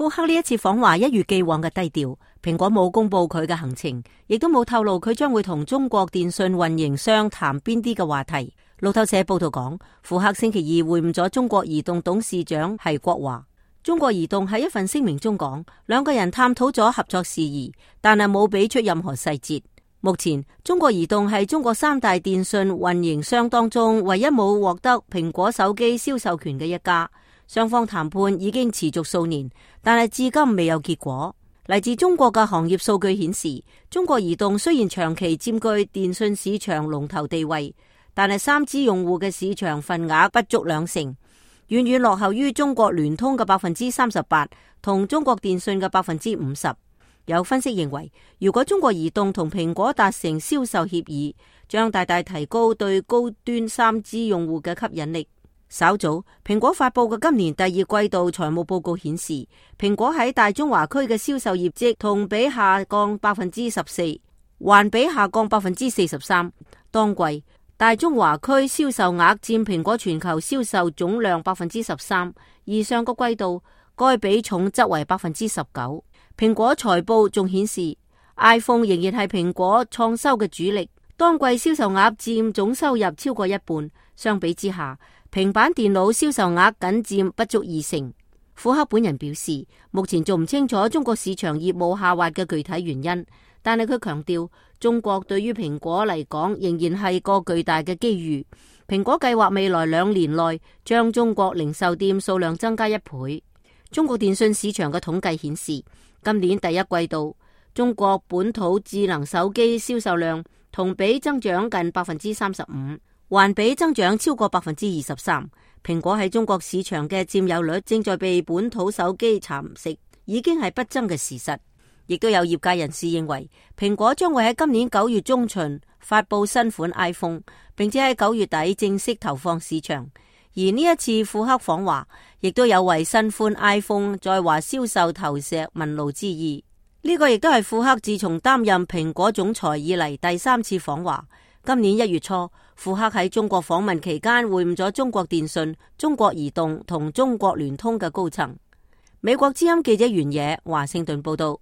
庫克呢一次訪華一如既往嘅低調，蘋果冇公布佢嘅行程，亦都冇透露佢將會同中國電信運營商談邊啲嘅話題。路透社報道講，庫克星期二會晤咗中國移動董事長係國華。中國移動喺一份聲明中講，兩個人探討咗合作事宜，但係冇俾出任何細節。目前中國移動係中國三大電信運營商當中唯一冇獲得蘋果手機銷售權嘅一家。雙方談判已經持續數年，但係至今未有結果。嚟自中國嘅行業數據顯示，中國移動雖然長期佔據電信市場龍頭地位，但係 3G 用戶嘅市場份額不足20%，遠遠落後於中國聯通嘅38%同中國電信嘅50%。有分析認為，如果中國移動同蘋果達成銷售協議，將大大提高對高端 3G 用戶嘅吸引力。稍早，蘋果發佈嘅今年第二季度財務報告顯示，蘋果喺大中華區嘅銷售業績同比下降14%，環比下降43%。當季大中華區銷售額佔蘋果全球銷售總量13%，而上個季度該比重則為19%。蘋果財報仲顯示 ，iPhone 仍然係蘋果創收嘅主力，當季銷售額佔總收入超過一半。相比之下，平板電腦銷售額僅佔不足20%。庫克本人表示，目前仲唔清楚中國市場業務下滑嘅具體原因，但係佢強調，中國對於蘋果嚟講仍然係個巨大嘅機遇。蘋果計劃未來2年內將中國零售店數量增加1倍。中國電信市場嘅統計顯示，今年第一季度中國本土智能手機銷售量同比增長近35%。環比增長超過23%，蘋果喺中國市場嘅佔有率正在被本土手機蠶食，已經係不爭嘅事實。亦都有業界人士認為，蘋果將會喺今年9月中旬發佈新款 iPhone， 並且喺9月底正式投放市場。而呢一次庫克訪華，亦都有為新款 iPhone 在華銷售投石問路之意。呢個亦都係庫克自從擔任蘋果總裁以嚟第3次訪華。今年1月初，庫克喺中國訪問期間會晤咗中國電信、中國移動同中國聯通嘅高層。美國之音記者袁野華盛頓報道。